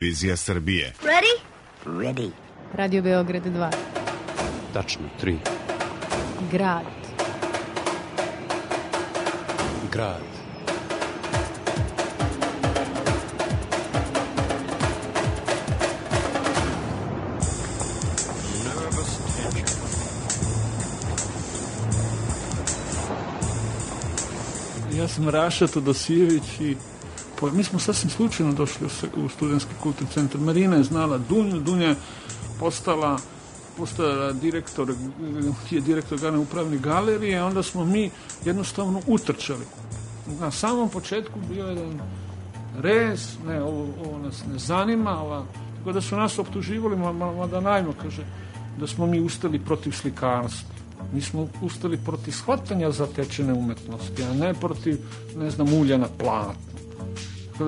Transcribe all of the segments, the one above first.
Vizija Srbije. Ready? Ready. Radio Beograd 2. Tačno, 3. Grad. Grad. Ja sam Raša Todosijević i mi smo sasvim slučajno došli u Studentski kulturni centar. Marina je znala Dunju, Dunja je postala direktor glavne upravne galerije, onda smo mi jednostavno utrčali. Na samom početku bio jedan rez, ne, ovo nas ne zanima, tako da su nas optuživali, mada najmo, kaže, da smo mi ustali protiv slikarstva. Mi smo ustali protiv shvatanja zatečene umetnosti, a ne protiv, ne znam, ulja na platnu.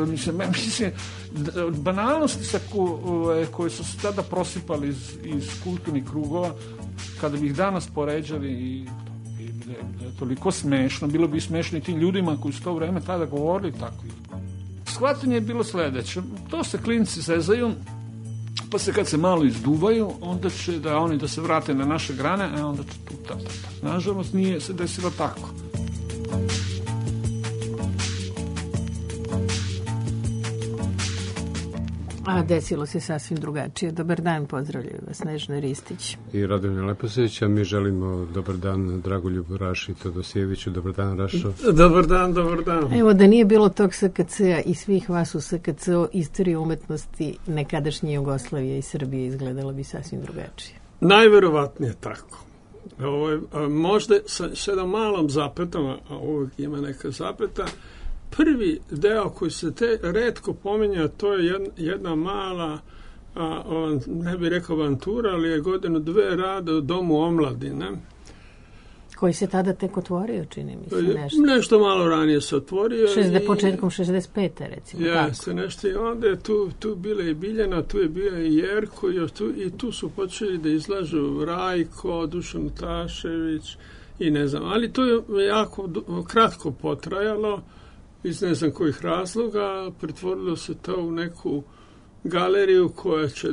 Mislim, banalnosti koje su se tada prosipali iz kulturnih krugova, kada bi ih danas poređali i da je toliko smešno, bilo bi smešno i tim ljudima koji su to vreme tada govorili tako. Shvatanje je bilo sledeće, to se klinci zezaju, pa se kad se malo izduvaju, onda će oni da se vrate na naše grane, a onda će tu ta. Nažalost, nije se desilo tako. A desilo se sasvim drugačije. Dobar dan, pozdravljaju vas Snežana Ristić I Radomir Leposević, a mi želimo dobar dan Dragoljubu Raši Todosijeviću. Dobar dan, Rašo. Dobar dan. Evo, da nije bilo tog SKC-a i svih vas u SKC-u, istorija umetnosti nekadašnje Jugoslavije i Srbije izgledala bi sasvim drugačije. Najverovatnije tako. Možda sa jednom malom zapetom, a uvijek ima neka zapeta, prvi deo koji se retko pominja, to je jedna mala, ne bih rekao avantura, ali je godinu dve rada u Domu omladine. Koji se tada tek otvorio, čini mi se, nešto. Nešto malo ranije se otvorio. Početkom 65. recimo. Jeste, nešto. I onda je tu bila i Biljana, tu je bio i Jerko, i tu su počeli da izlažu Rajko, Dušan Tašević i ne znam. Ali to je jako kratko potrajalo. Iz ne znam kojih razloga, pretvorilo se to u neku galeriju koja će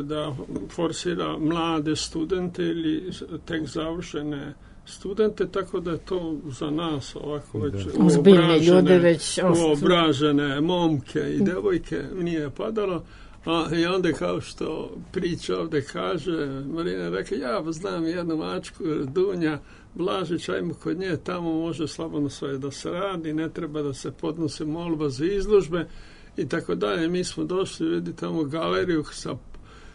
da forsira mlade studente ili tek završene studente, tako da je to za nas ovako već uobražene momke i devojke nije padalo. I onda kao što priča ovde kaže, Marina rekla, ja znam jednu mačku, Dunja Blažić, ajmo kod nje, tamo može slobodno sve da se radi, ne treba da se podnose molba za izložbe i tako dalje. Mi smo došli, vidi tamo galeriju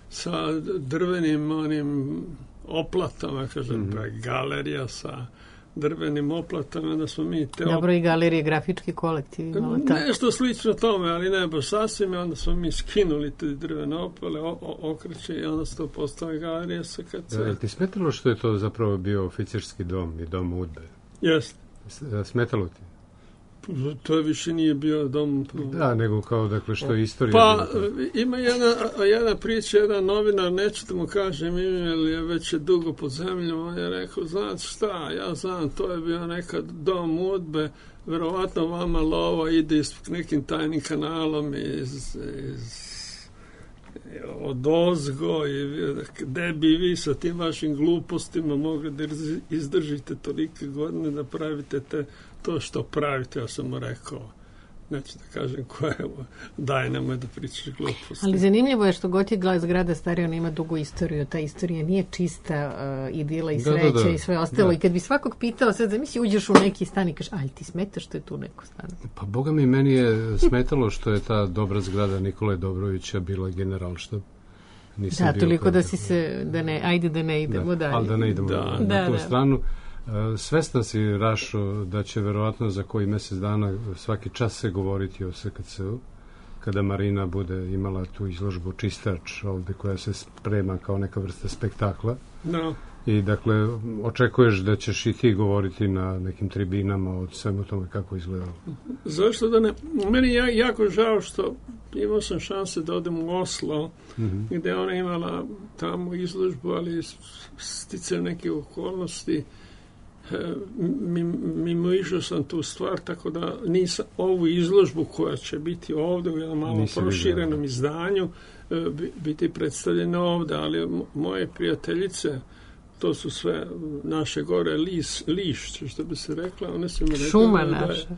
sa drvenim onim oplatama, kažem, galerija sa drvenim oplatama, da smo mi Dobro, i galerije, grafički kolektiv imala tako. Nešto slično tome, ali ne baš sasvim, onda smo mi skinuli te drvene opale, okreće i onda se to postala galerija SKC. Da, ti smetalo što je to zapravo bio oficirski dom i dom udbe? Jeste. Smetalo ti? To više nije bio dom... Da, nego kao, dakle, što je istorija... Pa, ima jedna priča, jedan novinar, neću da mu kažem ime, ali je već dugo pod zemljom, on je rekao, znate šta, ja znam, to je bio nekad dom udbe, verovatno vama lova ide nekim tajnim kanalom od ozgo i gde bi vi sa tim vašim glupostima mogli da izdržite tolike godine da pravite to što pravite. Ja sam mu rekao, neću da kažem koje, daj nemoj da pričaš gluposti. Ali zanimljivo je što god je zgrada starija, ona ima dugu istoriju. Ta istorija nije čista idila i sreća i sve ostalo. I kad bi svakog pitao, sad zamisli, uđeš u neki stan i kažeš, ali ti smeta što je tu neko stan? Pa boga mi, meni je smetalo što je ta dobra zgrada Nikole Dobrovića bila Generalštab. Da, toliko da si se, ajde da ne idemo dalje. Ali da ne idemo na tu stranu. Svestan si, Rašo, da će verovatno za koji mesec dana svaki čas se govoriti o SKC-u, kada Marina bude imala tu izložbu Čistač ovde koja se sprema kao neka vrsta spektakla. No. I dakle, očekuješ da ćeš i ti govoriti na nekim tribinama o svemu tome kako izgledalo? Zašto da ne? Meni je jako žao što imao sam šanse da odem u Oslo, gde ona imala tamo izložbu, ali sticajem neke okolnosti mimoišao sam tu stvar, tako da nisam ovu izložbu koja će biti ovdje u jednom malo proširenom izdanju biti predstavljena ovdje, ali moje prijateljice, to su sve naše gore lišće, što bi se rekla, one su mi rekla šuma naša.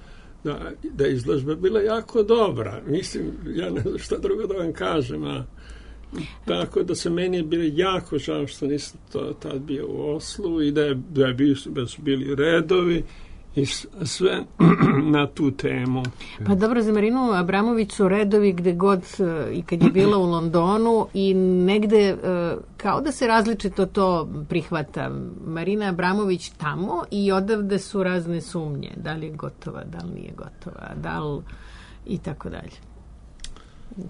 Da je izložba bila jako dobra. Mislim, ja ne znam šta drugo da vam kažem, tako da se meni je bilo jako žao što nisam tad bio u Oslu i da su bili redovi i sve na tu temu. Pa dobro, za Marinu Abramović su redovi gde god i kad je bila u Londonu i negde kao da se različito to prihvata. Marina Abramović tamo i odavde su razne sumnje. Da li je gotova, da li nije gotova, da li i tako dalje.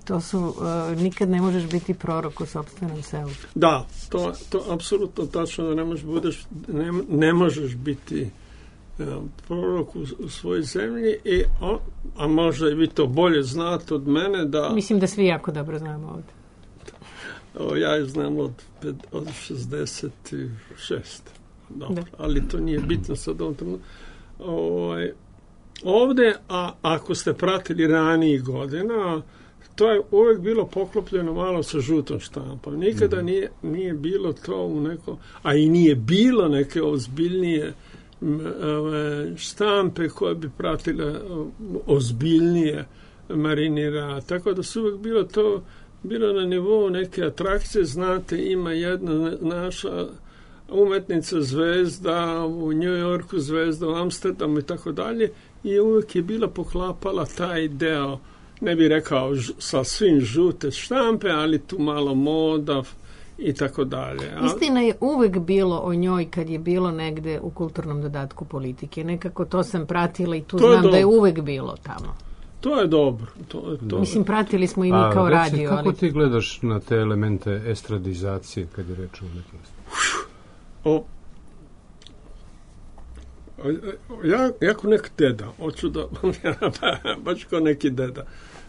To su, nikad ne možeš biti prorok u sopstvenom selu. Da, to apsolutno tačno da ne možeš biti prorok u svojoj zemlji, a možda i vi to bolje znate od mene da... Mislim da svi jako dobro znamo ovdje. Ja je znam od 66. Dobro, ali to nije bitno sad ovdje, a ako ste pratili ranijih godina, to je uvijek bilo poklopljeno malo sa žutom štampom. Nikada nije bilo to u nekom... A i nije bilo neke ozbiljnije štampe koje bi pratile ozbiljnije Marinira. Tako da su uvijek bilo na nivou neke atrakcije. Znate, ima jedna naša umetnica zvezda u New Yorku, zvezda u Amsterdamu i tako dalje, i uvijek je bila poklapala taj deo, ne bih rekao sa svim žute štampe, ali tu malo moda i tako dalje. Istina je uvek bilo o njoj kad je bilo negde u kulturnom dodatku politike. Nekako to sam pratila i tu znam da je uvek bilo tamo. To je dobro. Mislim, pratili smo i mi kao radio. Kako ti gledaš na te elemente estradizacije kad je reč o umetnosti? Ja ko neki deda, hoću da baš ko neki deda.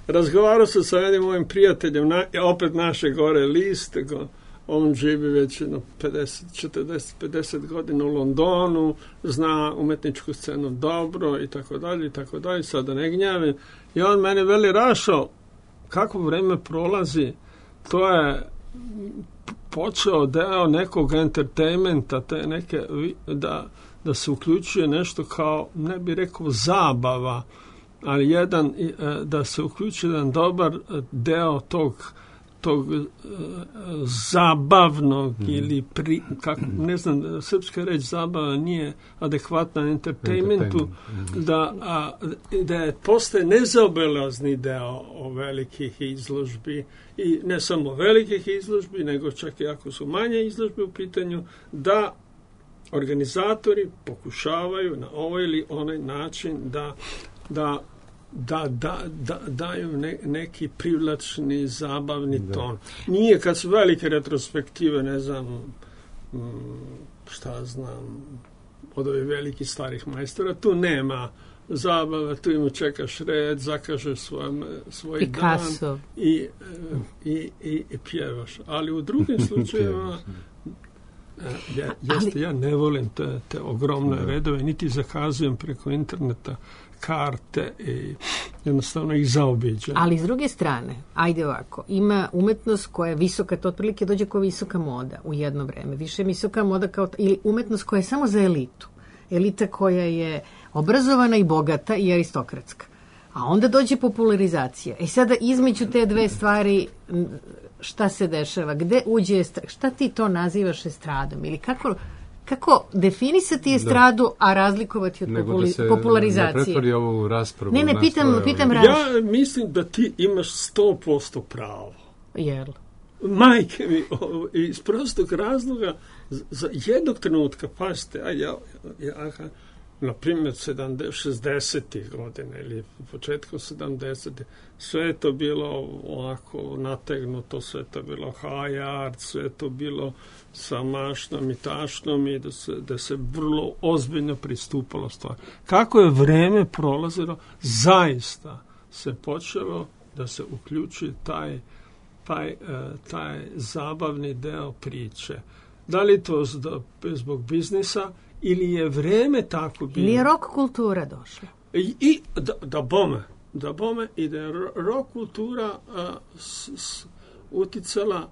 Razgovarao sam sa jednim mojim prijateljem, opet naše gore list, on živi već 40-50 godina u Londonu, zna umetničku scenu dobro i tako dalje, sada ne gnjavim. I on meni veli, Rašo, kako vreme prolazi, to je počeo deo nekog entertainmenta, te neke, da se uključuje nešto kao, ne bih rekao zabava, ali da se uključi jedan dobar deo tog zabavnog ili ne znam, srpska reč zabava nije adekvatna entertainmentu, da postaje nezaobilazni deo velikih izložbi, i ne samo velikih izložbi, nego čak i ako su manje izložbe u pitanju, da organizatori pokušavaju na ovaj ili onaj način da daju neki privlačni, zabavni ton. Nije kad su velike retrospektive, ne znam, šta znam, od ovih velikih starih majstora, tu nema zabava, tu im čekaš red, zakažeš svoj Picasso. Dan i pjevaš. Ali u drugim slučajevima ja ne volim te ogromne redove, niti zakazujem preko interneta karte i jednostavno ih zaobiđem. Ali s druge strane, ajde ovako, ima umetnost koja je visoka, to otprilike dođe kao visoka moda u jedno vreme. Više visoka moda ili umetnost koja je samo za elitu. Elita koja je obrazovana i bogata i aristokratska. A onda dođe popularizacija. Sada između te dve stvari šta se dešava? Gde uđe šta ti to nazivaš estradom? Ili kako definisati estradu, a razlikovati od popularizacije? Ne pretvori ovu raspravu. Ne, pitam ja mislim da ti imaš 100% pravo. Jel? Majke mi, iz prostog razloga, za jednog trenutka, pazite, na primjer 60. godine ili početkom 70. sve je to bilo ovako nategnuto, sve je to bilo high art, sve je to bilo sa mašnom i tašnom i da se vrlo ozbiljno pristupalo stvari. Kako je vreme prolazilo, zaista se počelo da se uključi taj zabavni deo priče. Da li to zbog biznisa ili je vreme tako bilo. Ili je rock kultura došla. I da bome i da je rock kultura uticala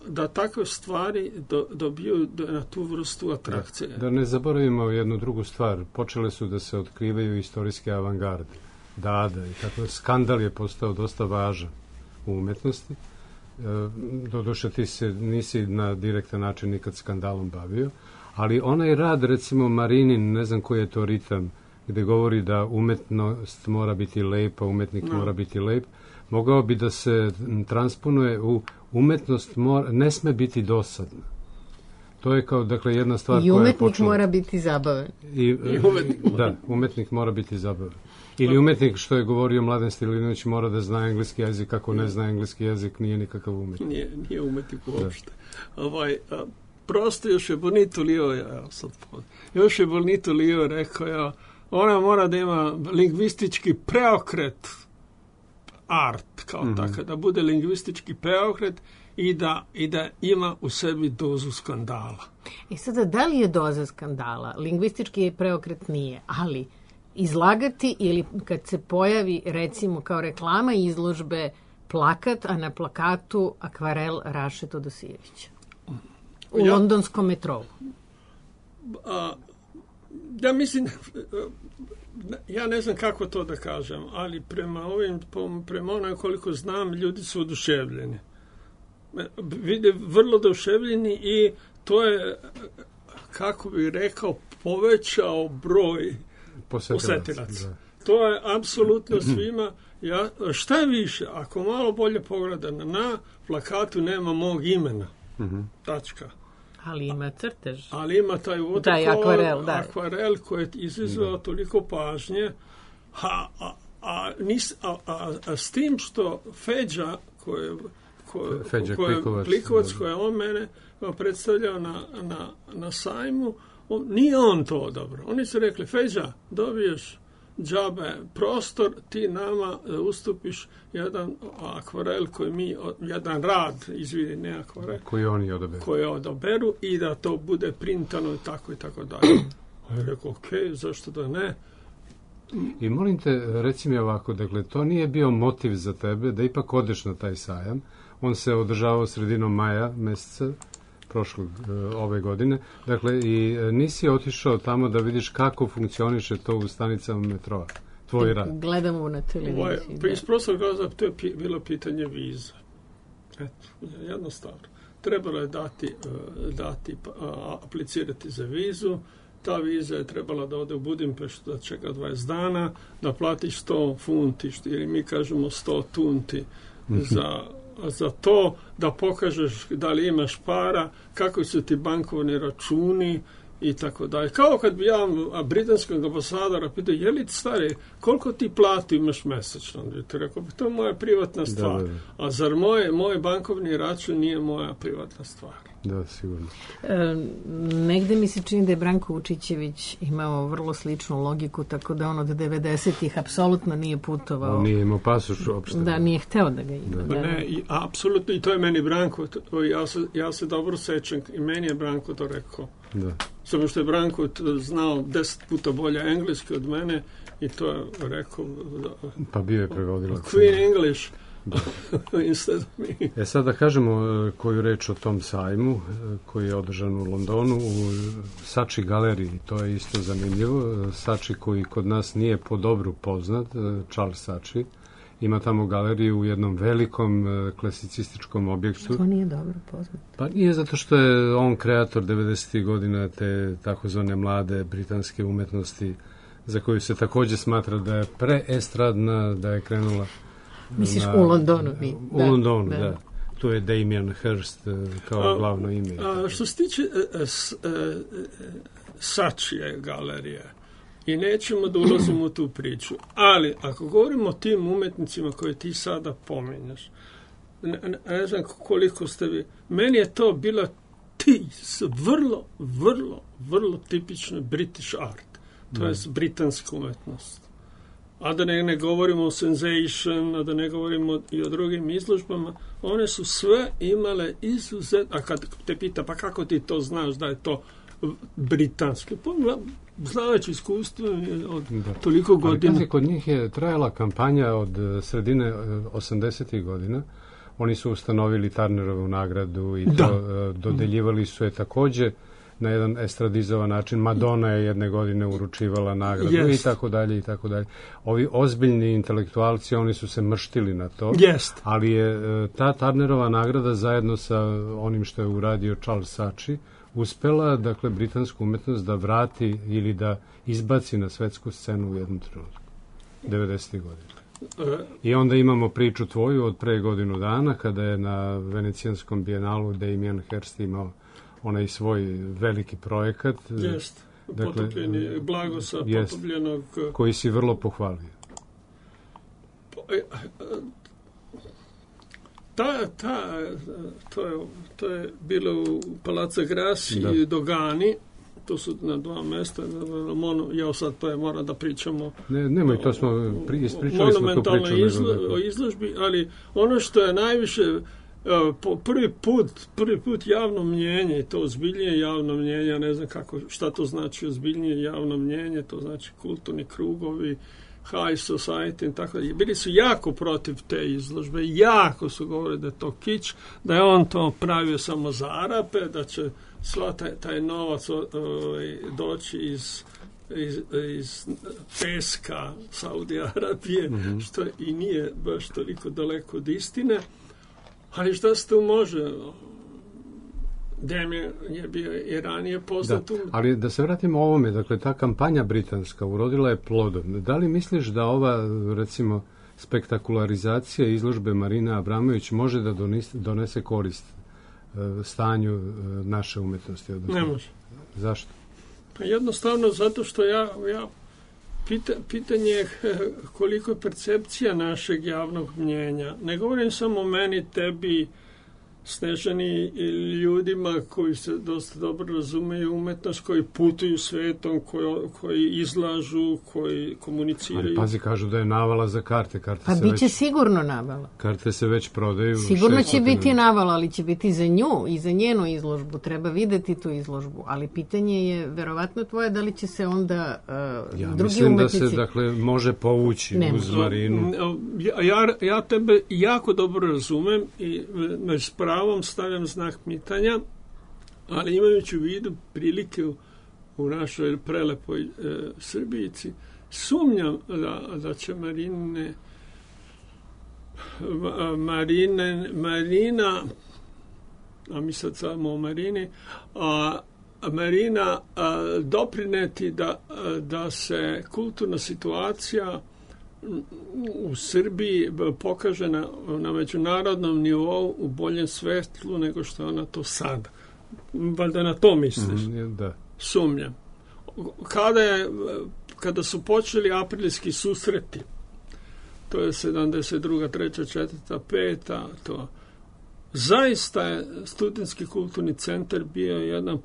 da takve stvari dobiju na tu vrstu atrakcije. Da ne zaboravimo jednu drugu stvar. Počele su da se otkrivaju istorijske avangarde. Dada i tako. Skandal je postao dosta važan u umetnosti. Doduše ti se nisi na direktan način nikad skandalom bavio, ali onaj rad, recimo Marinin, ne znam koji je to ritam, gde govori da umetnost mora biti lepa, umetnik mora biti lep, mogao bi da se transponuje u umetnost ne sme biti dosadna. To je kao, dakle, jedna stvar koja je počela. I umetnik mora biti zabavan. Da, umetnik mora biti zabavan. Ili umetnik, što je govorio Mladen Stilinović, mora da zna engleski jezik, ako ne zna engleski jezik, nije nikakav umetnik. Nije umetnik uopšte. Prosto još je Bonito Lio rekao, ona mora da ima lingvistički preokret art, kao tako, da bude lingvistički preokret i da ima u sebi dozu skandala. Sada, da li je doza skandala? Lingvistički preokret nije, ali izlagati ili kad se pojavi, recimo, kao reklama izložbe plakat, a na plakatu akvarel Raše Todosijevića u londonskom metrou. Ja mislim, ja ne znam kako to da kažem, ali prema onoj koliko znam, ljudi su oduševljeni. Vide vrlo oduševljeni i to je, kako bih rekao, povećao broj posetilaca. To je apsolutno svima. Šta je više, ako malo bolje pogledam, na plakatu nema mog imena. Tačka. Ali ima crtež. Ali ima taj akvarel koji je izazvao toliko pažnje. A s tim što Feđa Plikovac koji je on mene predstavljao na sajmu, nije on to odabro. Oni su rekli, Feđa, dobiješ džabe prostor, ti nama ustupiš jedan akvarel jedan rad, ne akvarel, koji odaberu i da to bude printano i tako dalje. Ja rekao, zašto da ne? I molim te, reci mi ovako, dakle, to nije bio motiv za tebe da ipak odeš na taj sajam. On se održavao sredinom maja meseca ove godine. Dakle, i nisi otišao tamo da vidiš kako funkcioniše to u stanicama metroa, tvoj rad. Gledamo na televiziji. Iz prostog razloga to je bilo pitanje viza. Jednostavno. Trebalo je aplicirati za vizu. Ta viza je trebala da ode u Budimpeštu, da čeka 20 dana, da platiš 100 funti, ili mi kažemo 100 tunti za to, da pokažeš da li imaš para, kako su ti bankovni računi i tako dalje. Kao kad bi ja britanskog ambasadora pitao, je li stari, koliko ti plati imaš mesečno? Ti rekao, to je moja privatna stvar. Da. A zar moj bankovni račun nije moja privatna stvar? Da, sigurno. Negde mi se čini da je Branko Vučićević imao vrlo sličnu logiku, tako da on od 90-ih apsolutno nije putovao. On nije imao pasoš uopšte. Da, nije hteo da ga ima. Da. Ne, apsolutno, i to je meni Branko. Ja se dobro sećam i meni je Branko to rekao. Da. Samo što je Branko znao 10 puta bolje engleski od mene i to je rekao. Pa bio je prevodilac. Queen English. Instead of me. Sad da kažemo koju reč o tom sajmu koji je održan u Londonu u Sači galeriji. To je isto zanimljivo. Sači koji kod nas nije po dobru poznat, Charles Sači, ima tamo galeriju u jednom velikom klasicističkom objektu. To nije dobro poznat. Pa nije, zato što je on kreator 90. godina te takozvane mlade britanske umetnosti za koju se također smatra da je preestradna, da je krenula misliš u Londonu? U Londonu, da. Tu je Damien Hirst kao glavno ime. Što se tiče Sačije galerije, i nećemo da ulazimo u tu priču, ali ako govorimo o tim umetnicima koje ti sada pominjaš, ne znam koliko ste vi, meni je to bila vrlo tipično British art, to je britanska umetnost. A da ne govorimo o Sensation, a da ne govorimo i o drugim izložbama, one su sve imale a kad te pita, pa kako ti to znaš da je to britanske. Znajući iskustvo od toliko godina. Ali kod njih je trajala kampanja od sredine 80. godina. Oni su ustanovili Turnerovu nagradu i dodeljivali su je takođe na jedan estradizovan način. Madonna je jedne godine uručivala nagradu i tako dalje i tako dalje. Ovi ozbiljni intelektualci, oni su se mrštili na to, ali je ta Turnerova nagrada zajedno sa onim što je uradio Charles Saatchi uspela, dakle, britansku umetnost da vrati ili da izbaci na svetsku scenu u jednom trenutku. 90. godina. I onda imamo priču tvoju od pre godinu dana, kada je na Venecijanskom bijenalu Damien Hirst imao onaj svoj veliki projekat. Jest, potopljeni Blagosa, potopljenog... Koji si vrlo pohvalio. To je bilo u Palazzo Grassi i Dogani. To su na dva mesta. Ja sad moram da pričamo nemoj, to smo ispričali smo tu priču. O izložbi, ali ono što je najviše prvi put javno mnjenje, to ozbiljnije javno mnjenje, ja ne znam šta to znači ozbiljnije javno mnjenje, to znači kulturni krugovi, high society i tako da. Bili su jako protiv te izložbe, jako su govorili da je to kič, da je on to pravio samo za Arape, da će sva taj novac doći iz peska Saudije Arabije, što i nije baš toliko daleko od istine. Ali šta se tu može? Damien je bio i ranije poznat. Ali da se vratimo ovome, dakle, ta kampanja britanska urodila je plodom. Da li misliš da ova, recimo, spektakularizacija izložbe Marine Abramović može da donese korist stanju naše umetnosti? Ne može. Zašto? Pa jednostavno zato što pitanje je koliko je percepcija našeg javnog mnjenja. Ne govorim samo o meni, tebi, Snežani, ljudima koji se dosta dobro razumeju umetnost, koji putuju svetom, koji izlažu, koji komuniciraju. Ali pazi, kažu da je navala za karte. Pa bit će sigurno navala. Karte se već prodaju. Sigurno će biti navala, ali će biti za nju i za njenu izložbu. Treba videti tu izložbu. Ali pitanje je, verovatno tvoje, da li će se onda drugi umetnici... Ja mislim da se, dakle, može povući uz Marinu. Ja tebe jako dobro razumem i s pravom stavljam znak pitanja, ali imajući u vidu prilike u našoj prelepoj Srbijici, sumnjam da će Marina, a mi sad samo o Marini, Marina doprineti da se kulturna situacija u Srbiji pokaže na međunarodnom nivou u boljem svetlu nego što je ona to sada. Valjda na to misliš? Da. Sumnjam. Kada su počeli aprilski susreti, to je 72. 3. 4. 5. to zaista je studentski kulturni centar bio jedan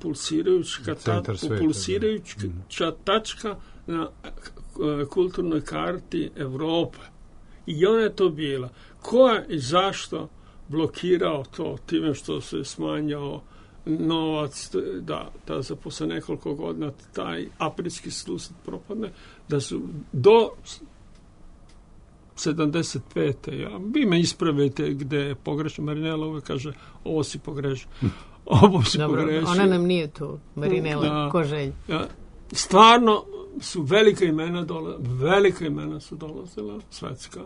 pulsirajuća tačka na kulturnoj karti Evrope. I ona je to bila. Ko je i zašto blokirao to time što se smanjao novac da za posle nekoliko godina taj aprilski susret propadne, da su do 75. Vi me ispravite gde je pogrešno. Marinela uvek kaže, ovo si pogrešio. Ovo si pogrešio. Ona nam nije tu, Marinela, ko želj. Stvarno su velika imena su dolazila, svetska,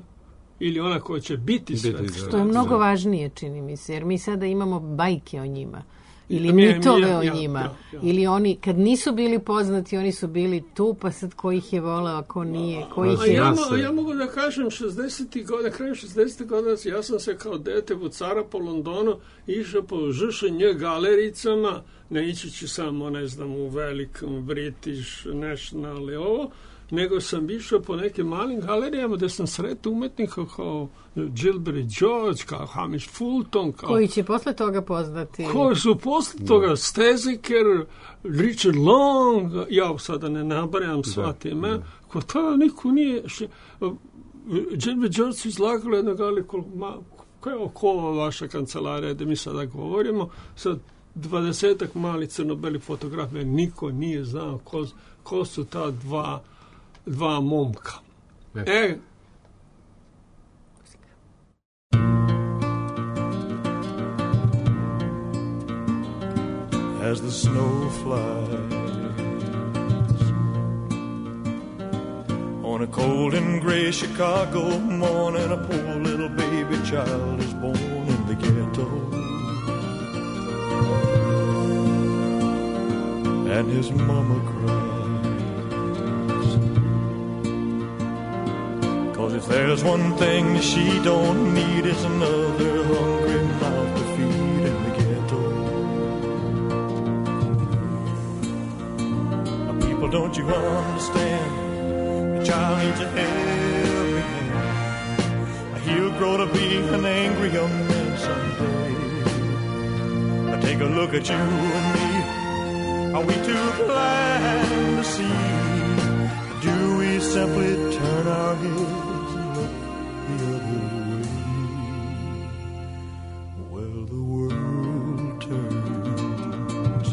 ili ona koja će biti svetska. To je mnogo važnije, čini mi se, jer mi sada imamo bajke o njima, ili mitove o njima, ili oni, kad nisu bili poznati, oni su bili tu, pa sad ko ih je voleo, ko nije, ko ih je... Ja mogu da kažem, 60. godina, kraj 60. godina, ja sam se kao dete vucara po Londonu, išao po žušenje galericama, ne ići samo, ne znam, u velikom British National i ovo, nego sam išao po nekim malim galerijama gde sam sretao umetnika kao Gilbert George, kao Hamish Fulton, koji će posle toga poznati. Koji su posle toga Steziker, Richard Long, ja sada ne nabrajam sva time, ko tada niko nije... Gilbert George su izlagali jedno galeriju, koja je oko vaša kancelarija, da mi sada govorimo, sad 20 malih crno-belih fotografija, niko nije znao ko su ta dva momka. As the snow flies on a cold and gray Chicago morning, a poor little baby child is born in the ghetto, and his mama cries, 'cause if there's one thing that she don't need, is another hungry mouth to feed in the ghetto. People, don't you understand? The child needs a helping hand. He'll grow to be an angry young man someday. Take a look at you and me. Are we too blind to see? Do we simply turn our heads and look the other way? Well, the world turns,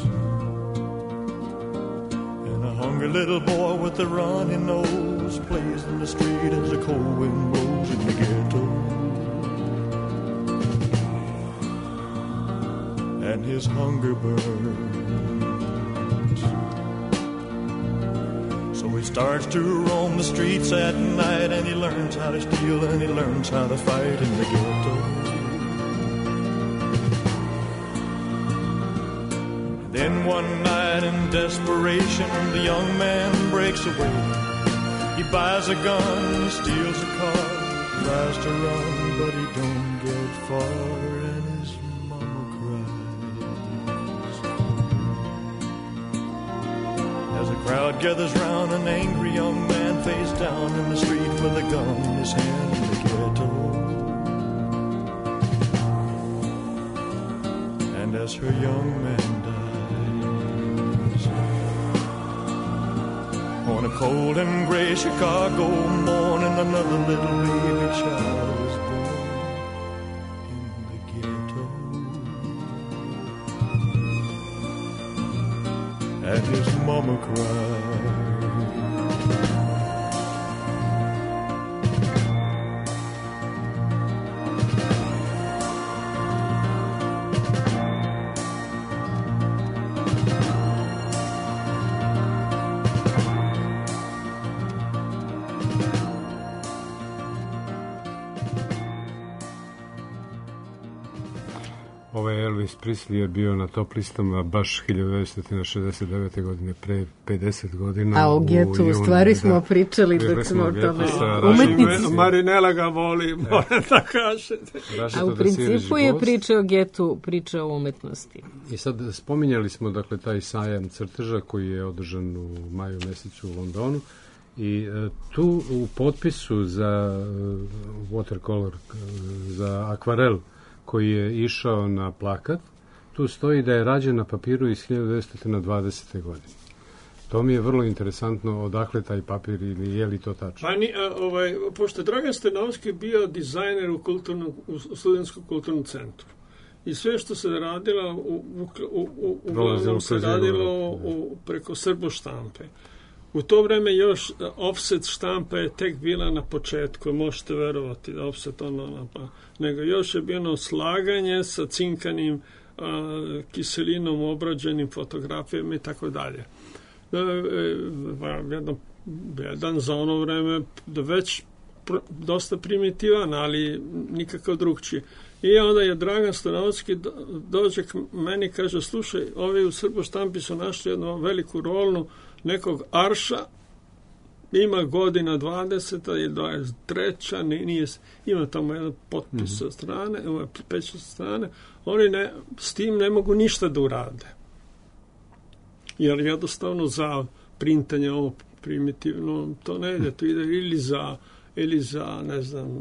and a hungry little boy with a runny nose plays in the street as the cold wind blows in the ghetto. And his hunger burns, so he starts to roam the streets at night, and he learns how to steal and he learns how to fight in the ghetto. Then one night in desperation, the young man breaks away. He buys a gun, steals a car, tries to run, but he don't get far, and his mama cries. As a crowd gathers round, an angry young man face down in the street with a gun in his hand in the ghetto. And as her young man dies, on a cold and gray Chicago morning, another little baby child is born in the ghetto. And his mama cried. Elvis Presley je bio na top listama baš 1969. godine, pre 50 godina. A o getu u stvari smo pričali dok smo o tome. Umetnici. Marinela ga voli, moram da kažete. A u principu je priča o getu, priča o umetnosti. I sad spominjali smo, dakle, taj sajam crteža koji je održan u maju mesecu u Londonu. I tu u potpisu za watercolor, za akvarel, koji je išao na plakat, tu stoji da je rađen na papiru iz 1920. godine. To mi je vrlo interesantno, odakle taj papir ili je li to tačno? Pošto je Dragan Stanovski bio dizajner u Studentskom kulturnom centru. I sve što se radilo, uglavnom se radilo preko Srbo štampe. U to vreme još offset štampa je tek bila na početku, možete verovati da offset nego još je bilo slaganje sa cinkanim kiselinom obrađenim fotografijama i tako dalje. Jedan za ono vreme već dosta primitivan, ali nikakav drugčiji. I onda je Dragan Stanovski dođe k meni i kaže, slušaj, ovi u Srbo štampi su našli jednu veliku rolnu nekog arša, ima godina 20. i 23. Ima tamo jedan potpis sa strane, pečat sa strane, oni s tim ne mogu ništa da urade. Jer jednostavno za printanje ovo primitivno to ne ide, to ide ili za ne znam,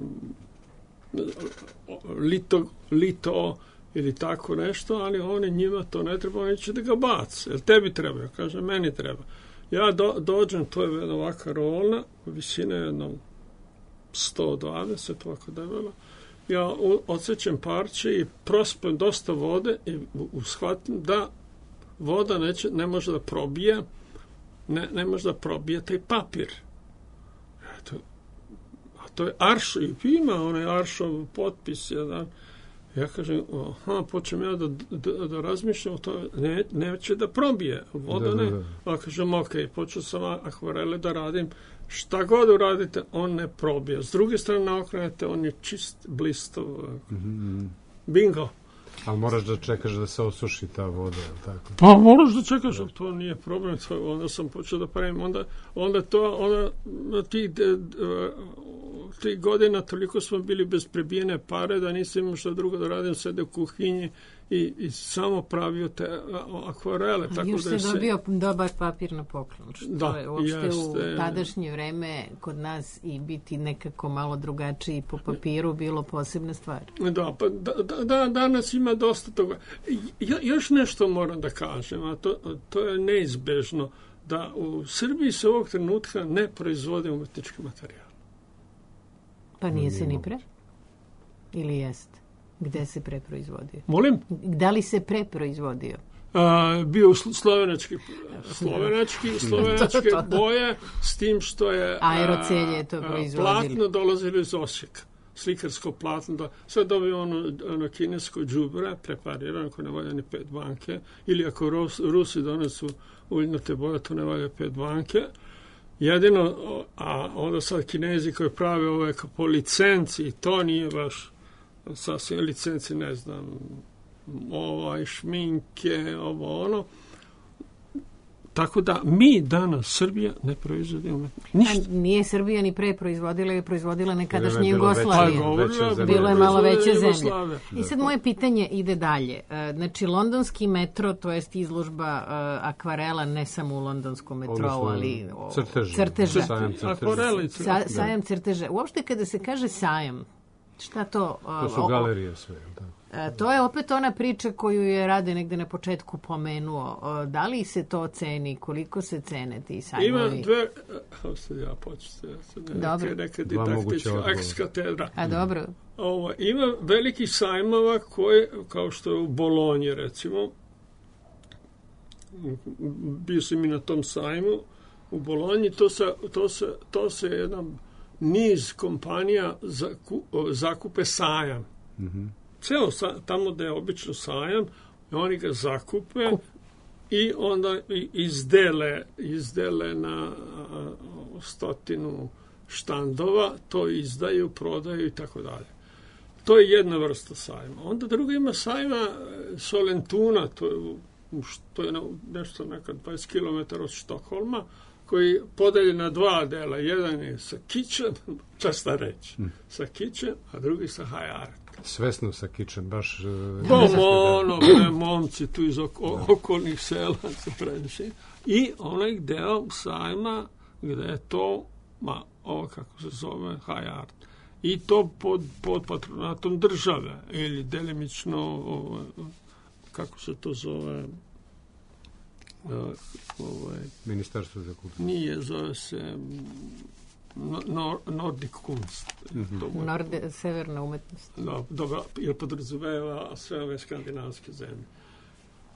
lito ili tako nešto, ali oni njima to ne treba, oni će da ga baci. Jer tebi treba, ja kažem, meni treba. Ja dođem, to je jedna ovaka rolna, visina je jedno 120, ovako debela, ja odsjećam parče i prospem dosta vode i shvatim da voda ne može da probije, ne može da probije taj papir. A to je aršo, i ima onaj aršov potpis jedan. Ja kažem, počnem ja da razmišljam o tome, neće da probije voda, ne. A kažem, ok, počeo sam akvarele da radim, šta god uradite, on ne probije. S druge strane okrenete, on je čist, blistov. Bingo. Ali moraš da čekaš da se osuši ta voda, je li tako? Pa moraš da čekaš, to nije problem. Onda sam počeo da pravim, onda tih godina toliko smo bili bez prebijene pare da nisam imao što drugo da radim, sede u kuhinji i samo pravio te akvarele. Tako još da se dobio dobar papir na poklon. Da, je uopšte u tadašnje vreme kod nas i biti nekako malo drugačiji po papiru bilo posebna stvar. Da, danas ima dosta toga. Još nešto moram da kažem, a to je neizbežno, da u Srbiji se ovog trenutka ne proizvode umetnički materijal. Pa nije se ni pre? Ili jest? Gde se preproizvodio? Molim? Da li se preproizvodio? Bio slovenačke boje, s tim što je Aerocelje je to proizvodilo. Platno dolazilo iz Osijeka. Slikarsko platno. Sad dobio ono kinesko đubre, preparirano, ako ne valja ni 5 banke, ili ako Rusi donesu uljnate boje, to ne valja 5 banke. Jedino, a onda sad Kinezi koji prave ove po licenci, to nije baš sasvim licenci, ne znam, šminke, ono. Tako da mi danas, Srbija, ne proizvodimo ništa. Nije Srbija ni pre proizvodila, je proizvodila nekadašnja Jugoslavija. Bilo je malo veća zemlja. I sad moje pitanje ide dalje. Znači, londonski metro, to jest izložba akvarela, ne samo u londonskom metrou, ali crteža. Sajam crteža. Uopšte kada se kaže sajam, šta to? To su galerije sve, da. To je opet ona priča koju je Rade negde na početku pomenuo. Da li se to ceni? Koliko se cene ti sajmovi? Ima dve... Ja početi. Neka didaktička ekskatedra. A dobro. Ima velikih sajmova koje, kao što je u Bolonji, recimo. Bio sam i na tom sajmu. U Bolonji to se jedan niz kompanija zakupe sajam. Ceo tamo da je obično sajam, oni ga zakupe i onda izdele na 100 štandova, to izdaju, prodaju i tako dalje. To je jedna vrsta sajma. Onda druga ima sajma Solentuna, to je nešto neka 20 km od Štokholma, koji podelje na 2 dela. Jedan je sa kičem, časta reći, sa kičem, a drugi sa hajaret. Svesno sa kičem, baš... momci tu iz okolnih sela se previše. I onaj deo sajma gde je to, ovo kako se zove, high art. I to pod patronatom države, ili delimično, kako se to zove... Ministarstvo za kulturu. Nije, zove se... Nordic Kunst. Severna umetnost. Dobro, jer podrazumeva sve ove skandinavske zemlje.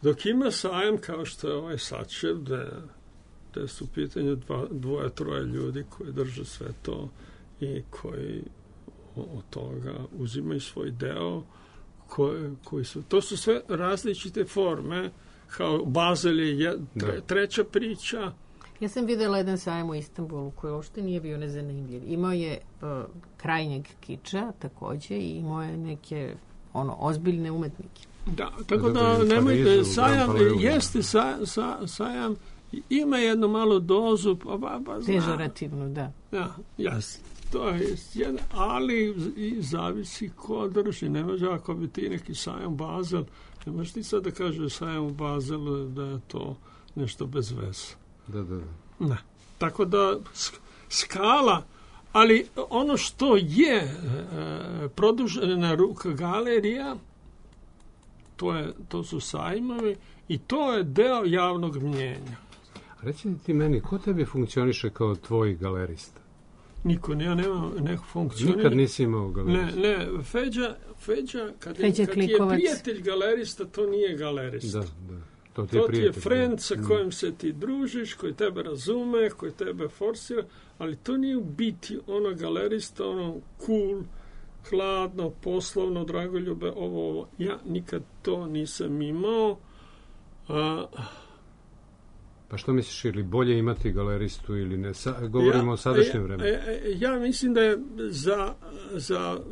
Dok ima sajam kao što je ovaj Sačev, gde su u pitanju 2-3 ljudi koji drže sve to i koji od toga uzimaju svoj deo, koji su, to su sve različite forme, kao Bazel je treća priča. Ja sam videla jedan sajam u Istanbulu koji uopšte nije bio nezanimljiv. Imao je krajnjeg kiča takođe i imao je neke ozbiljne umetnike. Da, tako da nemojte, sajam, jeste sajam, ima jednu malu dozu, pežorativnu, da. Ja, jasno. To je jedan, ali i zavisi ko drži. Ne može ako bi ti neki sajam Bazel, ne možeš ti sad da kaže sajam u Bazelu da je to nešto bez veze. Da. Tako da skala, ali ono što je produžena ruka galerija, to su sajmovi i to je deo javnog mnjenja. Reci ti meni, ko tebi funkcioniše kao tvoj galerista? Niko, ja nemam neku funkciju. Nikad nisi imao galerista? Ne, Feđa, kad je prijatelj galerista, to nije galerista. Da. To ti je friend sa kojim se ti družiš, koji tebe razume, koji tebe forsira, ali to nije u biti ono galerista, ono cool, hladno, poslovno, dragoljube, ovo. Ja nikad to nisam imao. Pa što misliš, ili bolje imati galeristu ili ne? Govorimo o sadašnjem vremenu. Ja mislim da je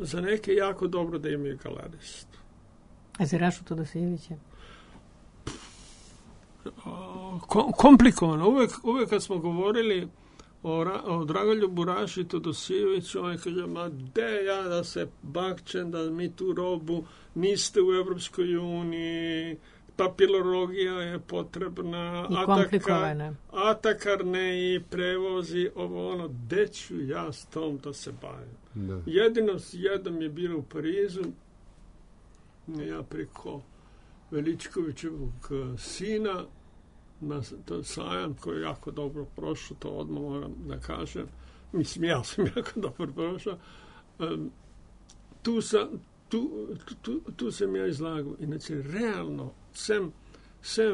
za neke jako dobro da imaju galeristu. A za Rašu Todosijevića? Komplikovano. Uvijek kad smo govorili o Dragoljubu Raši Todosijeviću, on kaže, ma de ja da se bakćem, da mi tu robu niste u Evropskoj uniji, papilologija je potrebna, i komplikovana. Atakarne i prevozi, ovo ono, gde ću ja s tom da se bavim. Da. Jednom je bilo u Parizu, ja preko Veličkovićevog sina, na sajam koji je jako dobro prošao, to odmah moram da kažem. Mislim, ja sam jako dobro prošao. Tu sam ja izlagao. Inače, realno, sem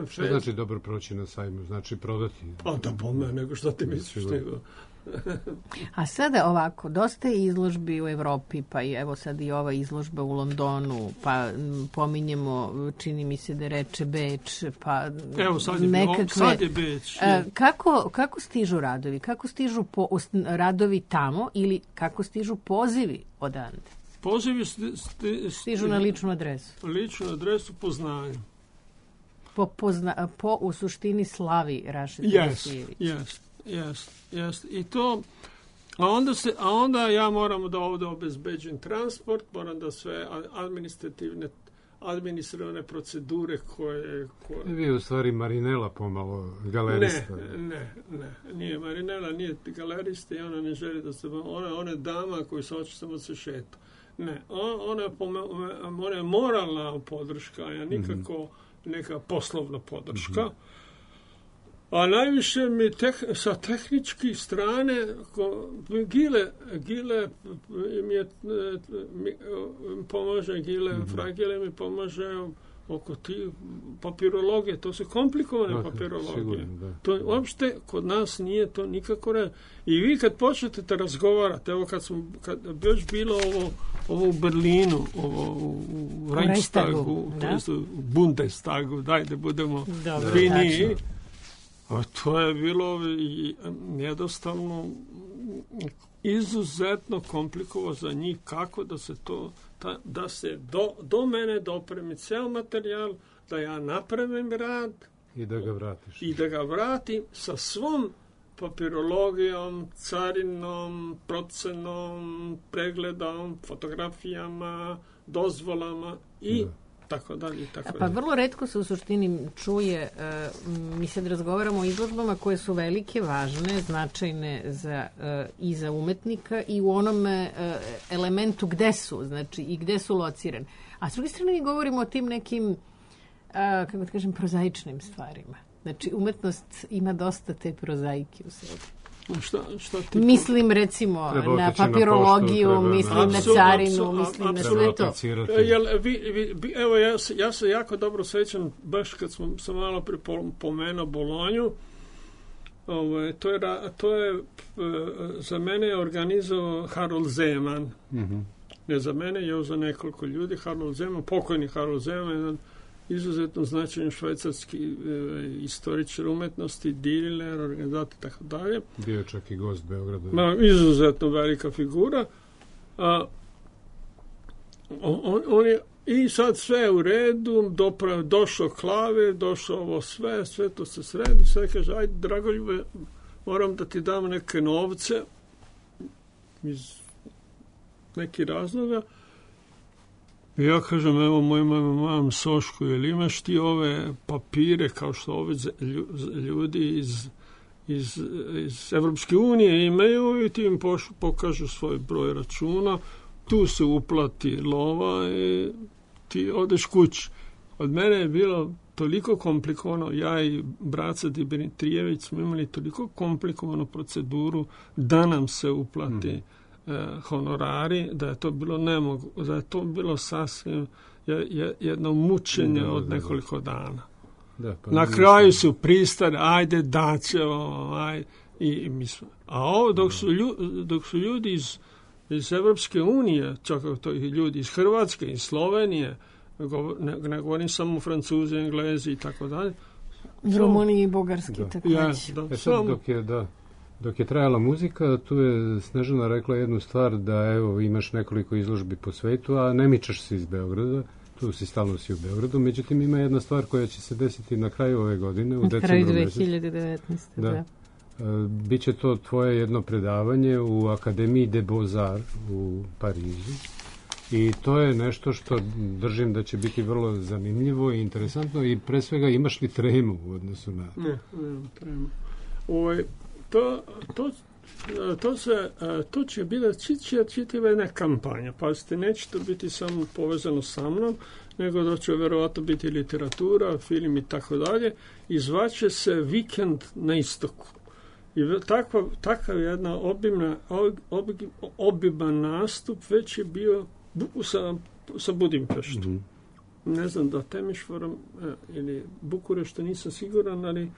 što znači dobro proći na sajmu? Znači prodati? Pa da bome, nego što ti misliš, nego... A sada ovako, dosta je izložbi u Evropi, pa i evo sad i ova izložba u Londonu, pa pominjemo, čini mi se da reče Beč, pa evo sad je Beč. Kako stižu radovi? Kako stižu radovi tamo ili kako stižu pozivi odande? Pozivi stižu na ličnu adresu. Ličnu adresu po znanju. Po u suštini slavi Raše Todosijević. Jest. I to, a onda ja moram da ovdje obezbeđujem transport, moram da sve administrativne procedure koje... Vi u stvari Marinela pomalo galerista. Ne, nije Marinela, nije galerista i ona ne želi da se... Ona je dama koja se hoće samo se šeta. Ne, ona je moralna podrška, a nikako neka poslovna podrška. A najviše mi sa tehničke strane Gile mi pomaže, Fragile mi pomaže oko ti papirologije, to su komplikovane papirologije. Sigurno, to uopšte kod nas nije to nikako ne. I vi kad počnete da razgovarate, evo kad još bilo ovo u Berlinu, ovo u Reichstagu, to jest u Bundestagu, daj da budemo finiji. A to je bilo jednostavno izuzetno komplikovano za njih kako da se to, da se do mene dopremi cel materijal, da ja napravim rad i da ga vratiš. I da ga vratim sa svom papirologijom, carinom, procenom, pregledom, fotografijama, dozvolama i tako dalje. Pa vrlo retko se u suštini čuje, mi sad razgovaramo o izložbama koje su velike, važne, značajne i za umetnika i u onome elementu gde su, znači i gde su locirane. A s druge strane mi govorimo o tim nekim, kako da kažem, prozaičnim stvarima. Znači umetnost ima dosta te prozaike u sebi. Mislim recimo na papirologiju, mislim na carinu, mislim na sve to. Evo ja se jako dobro sećam, baš kad sam malo pripomenuo Bolonju, to je za mene organizovao Harold Zeman. Ne za mene, je za nekoliko ljudi. Harold Zeman, pokojni Harold Zeman, jedan izuzetno značajan švajcarski istoričar umetnosti, diler, organizator i tako dalje. Bio je čak i gost Beograda. Izuzetno velika figura. On je i sad sve u redu, došao klavir, došao ovo sve to se sredi, sve kaže, ajde Dragoljube, moram da ti dam neke novce iz nekih razloga. I ja kažem, evo mojom Sošku, jel imaš ti ove papire kao što ove ljudi iz Evropske unije imaju i ti im pokažu svoj broj računa, tu se uplati lova i ti odeš kući. od mene je bilo toliko komplikovano, ja i braca Dimitrijević smo imali toliko komplikovanu proceduru da nam se uplati honorari, da je to bilo da je to bilo sasvim jedno mučenje od nekoliko dana. Da, pa na kraju su pristali, ajde daćemo, i mi smo. A ovo dok su ljudi iz Evropske unije, čak to i ljudi iz Hrvatske, iz Slovenije, ne govorim samo Francuzi, Englezi i tako dalje. Rumuniji i Bugarski također. Dok je trajala muzika, tu je Snežana rekla jednu stvar, da evo imaš nekoliko izložbi po svetu, a ne mičeš se iz Beograda, tu si stalno u Beogradu, međutim ima jedna stvar koja će se desiti na kraju ove godine, u decembru mesecu. Kraju 2019. Da. Biće to tvoje jedno predavanje u Akademiji de Beaux-Arts u Parizu. I to je nešto što držim da će biti vrlo zanimljivo i interesantno, i pre svega imaš li tremu u odnosu na... Ne, tremu. To će biti čitava jedna kampanja. Pazite, neće to biti samo povezano sa mnom, nego da će verovatno biti literatura, film i tako dalje. I zvaće se Vikend na istoku. I takav jedna obiman nastup već je bio sa Budimpeštom. Ne znam da Temišvarom ili Bukurešta, nisam siguran, ali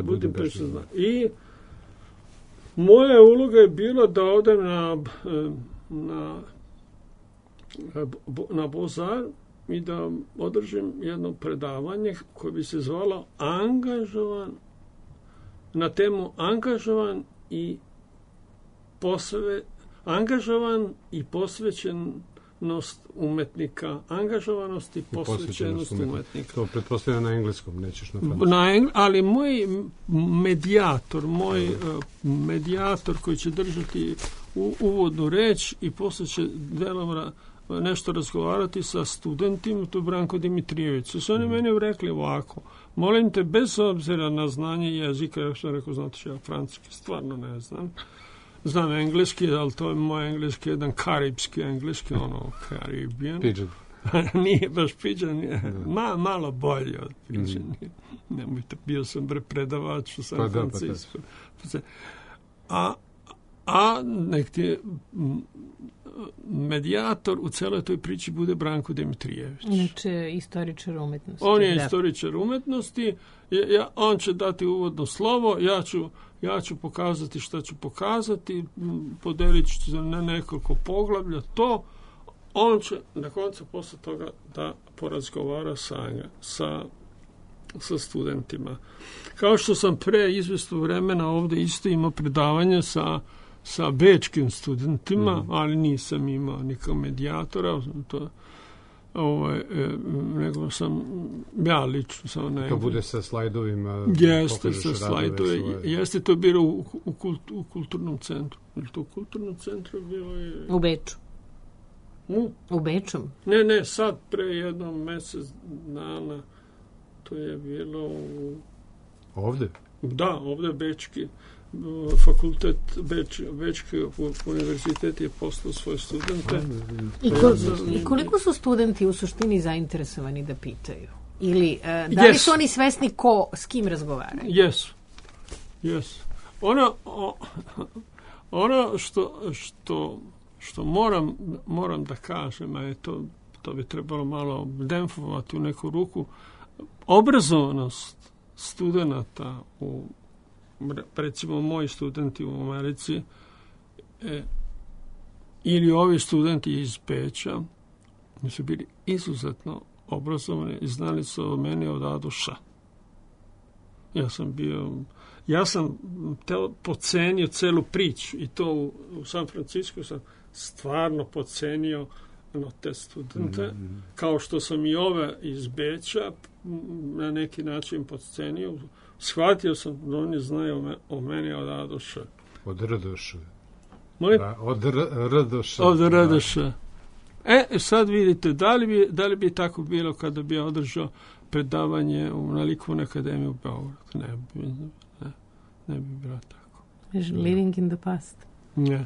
Budimpešta zna. I moja uloga je bila da odem na Beaux-Arts i da održim jedno predavanje koje bi se zvalo na temu angažovan i posvećenost umetnika. Angažovanost i posvećenost umetnika. To pretpostavljam na engleskom, nećeš na francuskom. Ali moj medijator koji će držati uvodnu reč i posle će delom nešto razgovarati sa studentima, to je Branko Dimitrijević. Su oni meni rekli ovako: molim te, bez obzira na znanje jezika, ja sam rekao, znate, ja francuski stvarno ne znam. Znam engleski, ali to je moj engleski, jedan karibski engleski, Caribbean. Pidgin. Nije baš Pidgin, malo bolje od Pidgin. Nemojte, bio sam predavač u San Francisco. A nek ti medijator u celoj toj priči bude Branko Dimitrijević. Inače, istoričar umetnosti. On je istoričar umetnosti, on će dati uvodno slovo, ja ću pokazati šta ću pokazati, podelit ću se na nekoliko poglavlja, to on će na koncu posle toga da porazgovara sa studentima. Kao što sam pre izvesnog vremena ovde isto imao predavanje sa bečkim studentima, ali nisam imao nikog medijatora, nego sam ja lično sam to bude sa slajdovima. Jeste, sa slajdovima. Jeste, to bilo u kulturnom centru. Ili to u kulturnom centru bilo je... U Beču. U Beču? Ne, sad pre jednom mesec dana to je bilo Ovde? Da, ovde Bečki fakultet Bečki univerzitet je poslao svoje studente. I koliko su studenti u suštini zainteresovani da pitaju? Ili da li su oni svesni s kim razgovaraju? Jesu. Ono što moram da kažem, a to bi trebalo malo demfovati u neku ruku, obrazovanost studenata recimo moji studenti u Americi ili ovi studenti iz Beča su bili izuzetno obrazovani i znali su o meni od A do Š. Ja sam pocenio celu priču i to u San Francisco sam stvarno pocenio te studente, kao što sam i ove iz Beča na neki način podcenio. Shvatio sam da oni znaju o meni od A do Š. Od R do Š. Od R do Š. Sad vidite, da li bi tako bilo kada bi održao predavanje na Likovnoj akademiji u Beogradu? Ne bi bilo tako. Living in the past. Ne.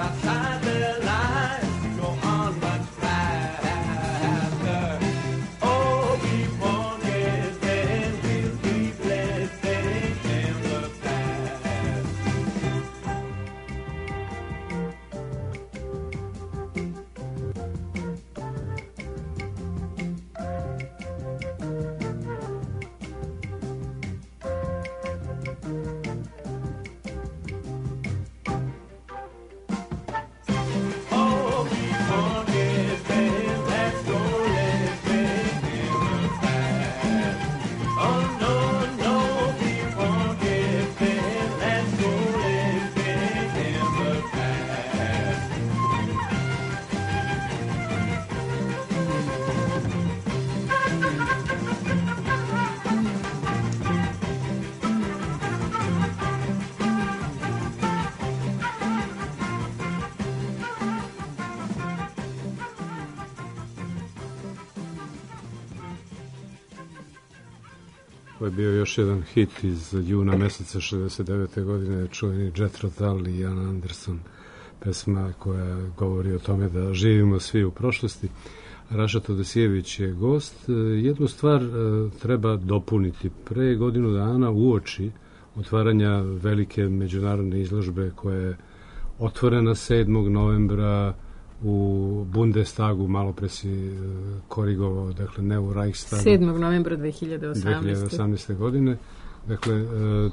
outside their lines go on much faster. Oh, keep on guessing, we'll keep listening in the past. Oh, keep on guessing, let's go listening in the past. Oh, no, no, keep on guessing, let's go listening in the past. Ovo je bio još jedan hit iz juna meseca 69. godine, čuveni Jethro Tull i Ian Anderson, pesma koja govori o tome da živimo svi u prošlosti. Raša Todosijević je gost. Jednu stvar treba dopuniti. Pre godinu dana uoči otvaranja velike međunarodne izložbe koja je otvorena 7. novembra u Bundestagu, malo pre si korigovao, dakle ne u Reichstagu. 7. novembra 2018. godine. Dakle,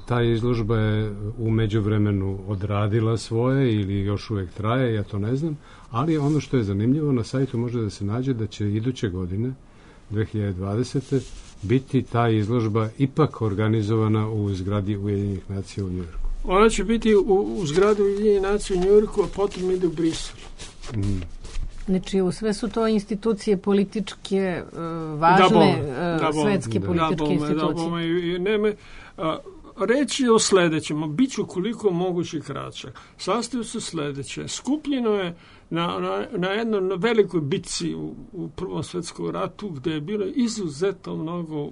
ta izložba je u međuvremenu odradila svoje ili još uvijek traje, ja to ne znam, ali ono što je zanimljivo, na sajtu može da se nađe da će iduće godine, 2020. biti ta izložba ipak organizovana u zgradi Ujedinjenih nacija u Njujorku. Ona će biti u zgradu Ujedinjenih nacija u Njujorku, a potom ide u Brisel. Znači, sve su to institucije političke, važne svetske političke institucije. Reći o sljedećem, bit ću koliko moguće kraćak. Sastoji se sljedeće. Skupljeno je na jednoj velikoj bitci u Prvom svjetskom ratu, gdje je bilo izuzetno mnogo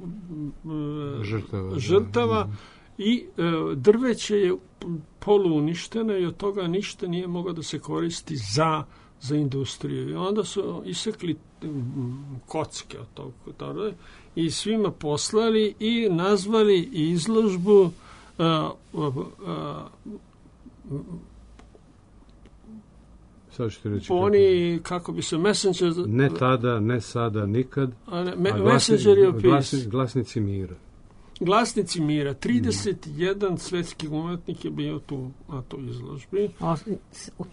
žrtava i drveće je poluuništeno i od toga ništa nije moglo da se koristi za industriju. I onda su isekli kocke od toga i svima poslali i nazvali izložbu oni, kako bi se messenger... Ne tada, ne sada, nikad. Messenger of peace. Glasnici mira. Glasnici mira. 31 svetski umetnik je bio tu na toj izložbi.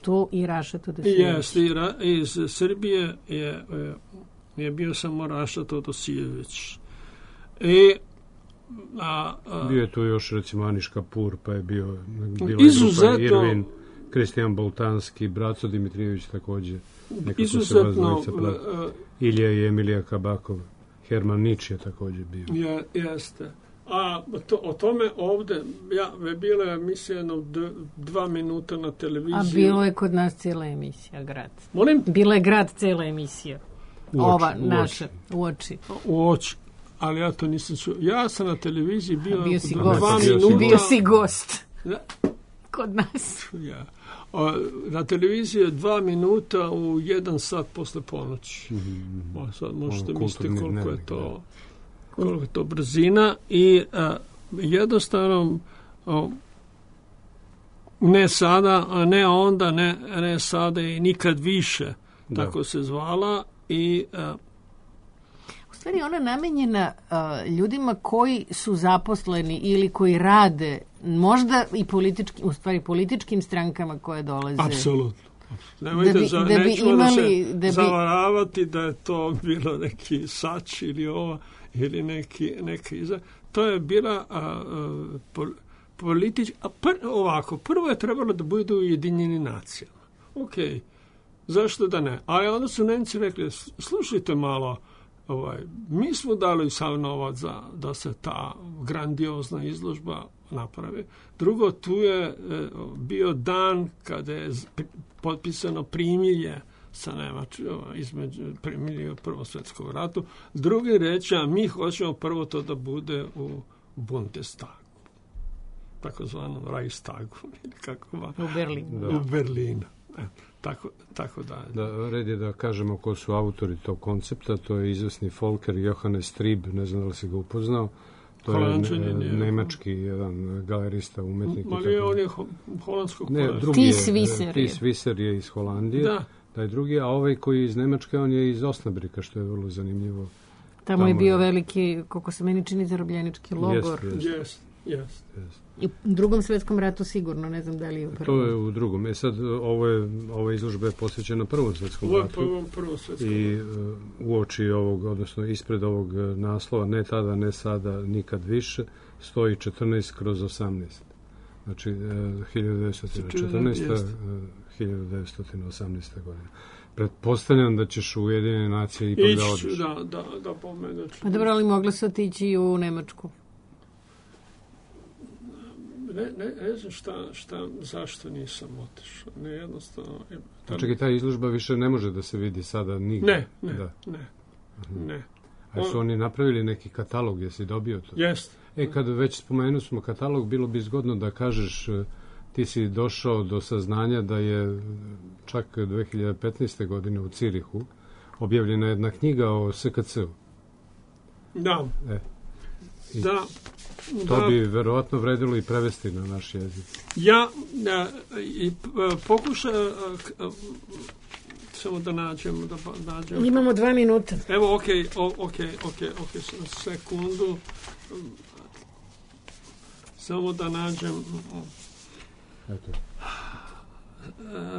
Tu i Raša Todosijević. Iz Srbije je bio samo Raša Todosijević. Bio je tu još recimo Aniš Kapur, pa je bio izuzetno Kristijan Boltanski, Braco Dimitrijević također. Izuzetno Ilija i Emilija Kabakov. Herman Nič je također bio. Jeste. A o tome ovdje, bila je emisija 2 minuta na televiziji. A bilo je kod nas cijela emisija, Grad. Molim? Bila je Grad cijela emisija. Ova naša, u oči. U oči. Ali ja to nisam čuo. Ja sam na televiziji bio 2 minuta. Bio si gost. Da? Kod nas. Ja. Na televiziji je 2 minuta u 1 sat posle ponoći. Sad možete misliti koliko je to brzina i jednostavno ne sada, ne onda, ne sada i nikad više. Tako se zvala i u stvari ona namenjena ljudima koji su zaposleni ili koji rade možda i političkim strankama koje dolaze. Apsolutno. Nemojte da se zavaravati da je to bilo neki Sač ili ova ili neki iza. To je bila politička... ovako, prvo je trebalo da bude u Ujedinjenim nacijama. Ok, zašto da ne? Ali onda su Nemci rekli, slušajte malo, mi smo dali sav novac da se ta grandiozna izložba napravi. Drugo, tu je bio dan kada je potpisano primirje sa između primirje u Prvom svjetskom ratu. Drugi reći, a mi hoćemo prvo to da bude u Bundestagu, takozvanom Reichstagu, ili kako va? U Berlinu. U Berlinu. tako dalje. Da, red je da kažemo ko su autori tog koncepta, to je izvesni Volker Johannes Trieb, ne znam da li si ga upoznao, to je nemački jedan galerista, umetnik. Ali on je holandskog Ties Visser je iz Holandije, taj drugi, a ovaj koji je iz Nemačke, on je iz Osnabrika, što je vrlo zanimljivo. Tamo je bio veliki, koliko se meni čini, zarobljenički logor. Yes. I u Drugom svetskom ratu sigurno, ne znam da li je u prvom. To je u drugom. Sad, ova izložba je posvećena Prvom svetskom ratu. I uoči ovog, odnosno ispred ovog naslova, ne tada, ne sada, nikad više, stoji 14/18. Znači, 1914. 1918. godina. Pretpostavljam da ćeš u Ujedinjene nacije ipak da odeš. Da pomenuš. Pa dobro, ali mogla se otići i u Nemačku. Ne znam zašto nisam otišao. Ne, jednostavno... Čekaj, ta izložba više ne može da se vidi sada nigde. Ne. A su oni napravili neki katalog, jesi dobio to? Jest. Kad već spomenuli smo katalog, bilo bi zgodno da kažeš, ti si došao do saznanja da je čak 2015. godine u Cirihu objavljena jedna knjiga o SKC-u. Da. To bi verovatno vredilo i prevesti na naš jezik. Pokušaj samo da nađem. Imamo 2 minuta. Evo, okej, sekundu. Samo da nađem. Eto.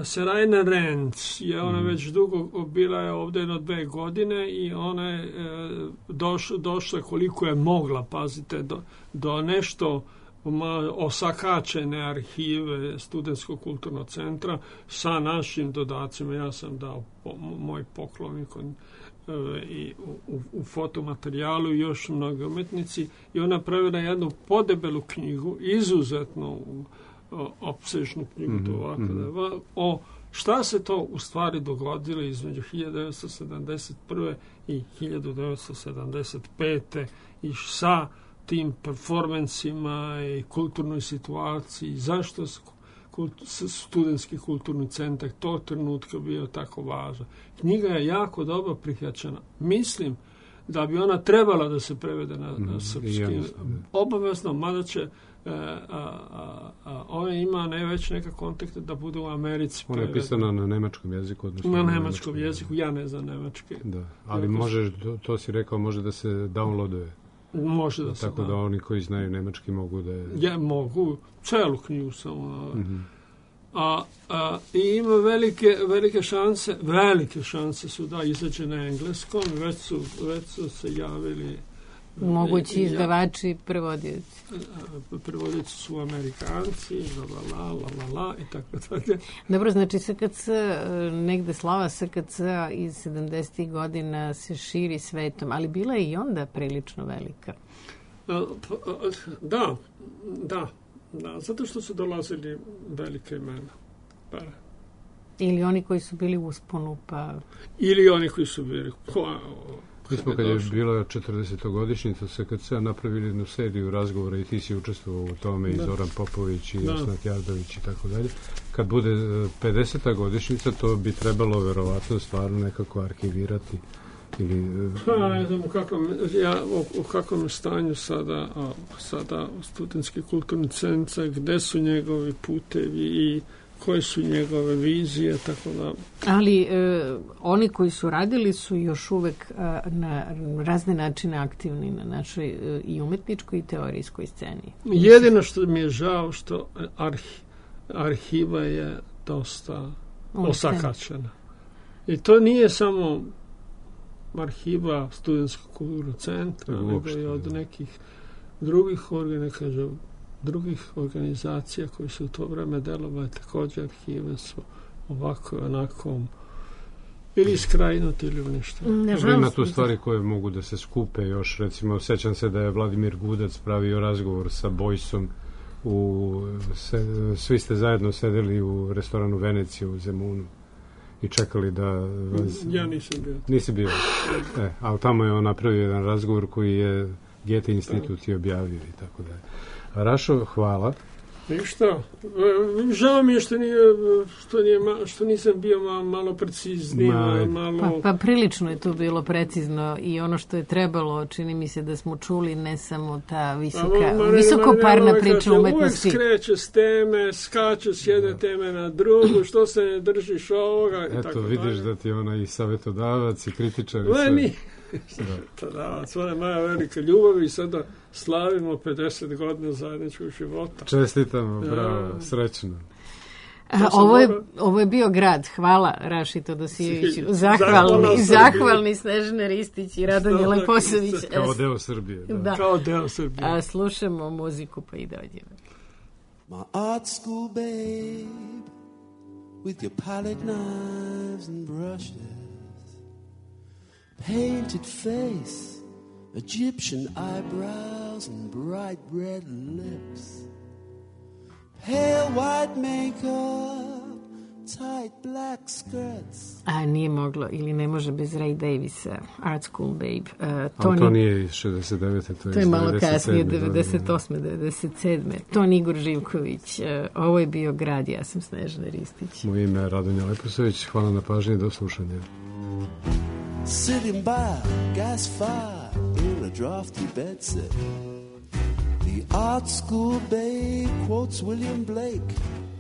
Serajna Renz je ona već dugo, bila je ovdje 2 godine i ona je došla koliko je mogla, pazite, do nešto osakačene arhive Studentskog kulturnog centra sa našim dodacima. Ja sam dao moj poklon i u fotomaterijalu i još mnogi umetnici i ona pravila jednu podebelu knjigu, izuzetno opsežnu knjigu o šta se to u stvari dogodilo između 1971. i 1975. i sa tim performansima i kulturnoj situaciji, zašto studentski kulturni centar tog trenutka bio tako važan. Knjiga je jako dobro prihvaćena. Mislim da bi ona trebala da se prevede na srpski. Obavezno, mada će ona ima već neka kontakte da bude u Americi. Ona je pisana na nemačkom jeziku. Na nemačkom jeziku, ja ne znam nemački. Da, ali može, to si rekao, može da se downloaduje. Može da se tako da oni koji znaju nemački mogu da je... Ja mogu, celu knjigu samo. I ima velike šanse su da izađe na engleskom, već su se javili mogući izdavači, prevodioci. Prevodioci su Amerikanci, i tako dalje. Dobro, znači SKC, negde slava SKC iz 70. godina se širi svetom, ali bila je i onda prilično velika. Da, zato što su dolazili velike imena. Ili oni koji su bili u usponu, pa... Ili oni koji su bili... Mi smo kad je bila 40-godišnjica SKC-a napravili jednu seriju razgovora i ti si učestvovao u tome i Zoran Popović i Osnat Jardović i tako dalje. Kad bude 50. godišnjica, to bi trebalo verovatno stvarno nekako arhivirati. Ne znam u kakvom stanju sada studentski kulturni centar, gde su njegovi putevi i koje su njegove vizije, tako da... Ali oni koji su radili su još uvek na razne načine aktivni na našoj i umetničkoj i teorijskoj sceni. Jedino što mi je žao što arhiva je dosta osakačena. I to nije samo arhiva Studentskog kulturnog centra, nego i od nekih drugih organizacija koji su u to vreme delovali, također arhive su ovako onako ili skrajnuti ili nešto. Ima tu stvari koje mogu da se skupe još, recimo, sećam se da je Vladimir Gudac pravio razgovor sa Bojsom svi ste zajedno sedeli u restoranu Venecija u Zemunu i čekali da vas... Ja nisam bio. Nisi bio? Ali tamo je on napravio jedan razgovor koji je Goethe institut i objavio i tako da. Rašo, hvala. Ništa. Žao mi je što nisam bio malo precizniji. Pa prilično je to bilo precizno i ono što je trebalo, čini mi se da smo čuli ne samo ta visokoparna priča umetnosti. Uvijek skreće s teme, skače s jedne teme na drugu, što se ne držiš ovoga i tako dalje. Eto, vidiš da ti je ona i savjetodavac i kritičar. Savjetodavac, ona je moja velika ljubav i sada slavimo 50 godina zajedničkog života. Čestitamo, bravo, srećno. Ovo je bio grad. Hvala Raši Todosijeviću. Zahvalni Snežane Ristić i Radonje Leposavić. Kao deo Srbije. Da. Kao deo Srbije. Slušamo muziku pa i dođemo. My art school babe, with your palette knives and brushes, painted face, Egyptian eyebrows and bright red lips, pale white makeup, tight black skirts. Nije moglo ili ne može bez Ray Davisa, Art School Babe. To nije iz 69. To je malo kasnije, 98. 97. Ton Igor Živković. Ovo je bio grad, ja sam Snežana Ristić. Moje ime je Radonja Leposavić. Hvala na pažnji, do slušanja. Sitting by gas fire in a drafty bedsit, the art school babe quotes William Blake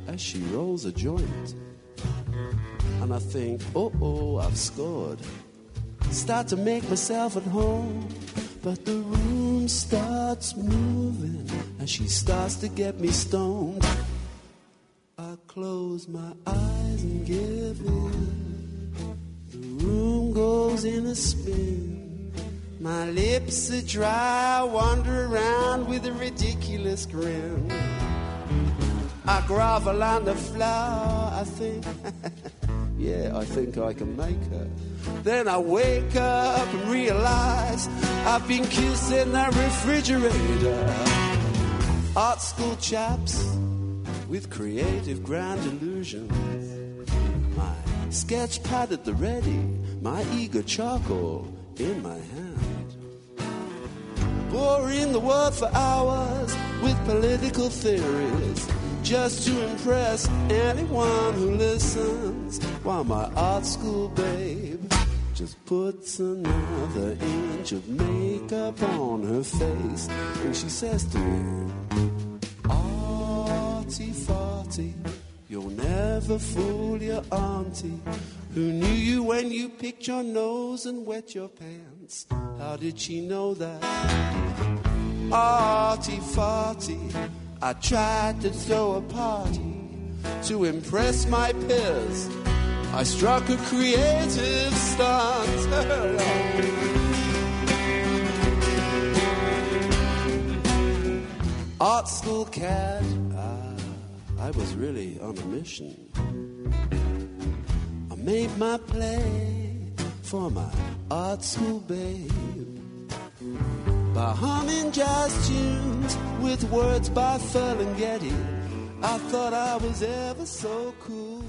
as she rolls a joint. And I think, I've scored. Start to make myself at home, but the room starts moving and she starts to get me stoned. I close my eyes and give in. The room goes in a spin. My lips are dry, I wander around with a ridiculous grin. I grovel on the floor, I think, yeah, I think I can make her. Then I wake up and realize I've been kissing the refrigerator. Art school chaps with creative grand illusions. My sketch pad at the ready, my eager charcoal in my hand. Boring the word for hours with political theories, just to impress anyone who listens, while my art school babe just puts another inch of makeup on her face, and she says to me, "Arty farty, you'll never fool your auntie, who knew you when you picked your nose and wet your pants. How did she know that? Arty farty, I tried to throw a party to impress my peers. I struck a creative stunt." Art school cat, I was really on a mission. I made my play for my art school babe by humming jazz tunes with words by Ferlinghetti. I thought I was ever so cool.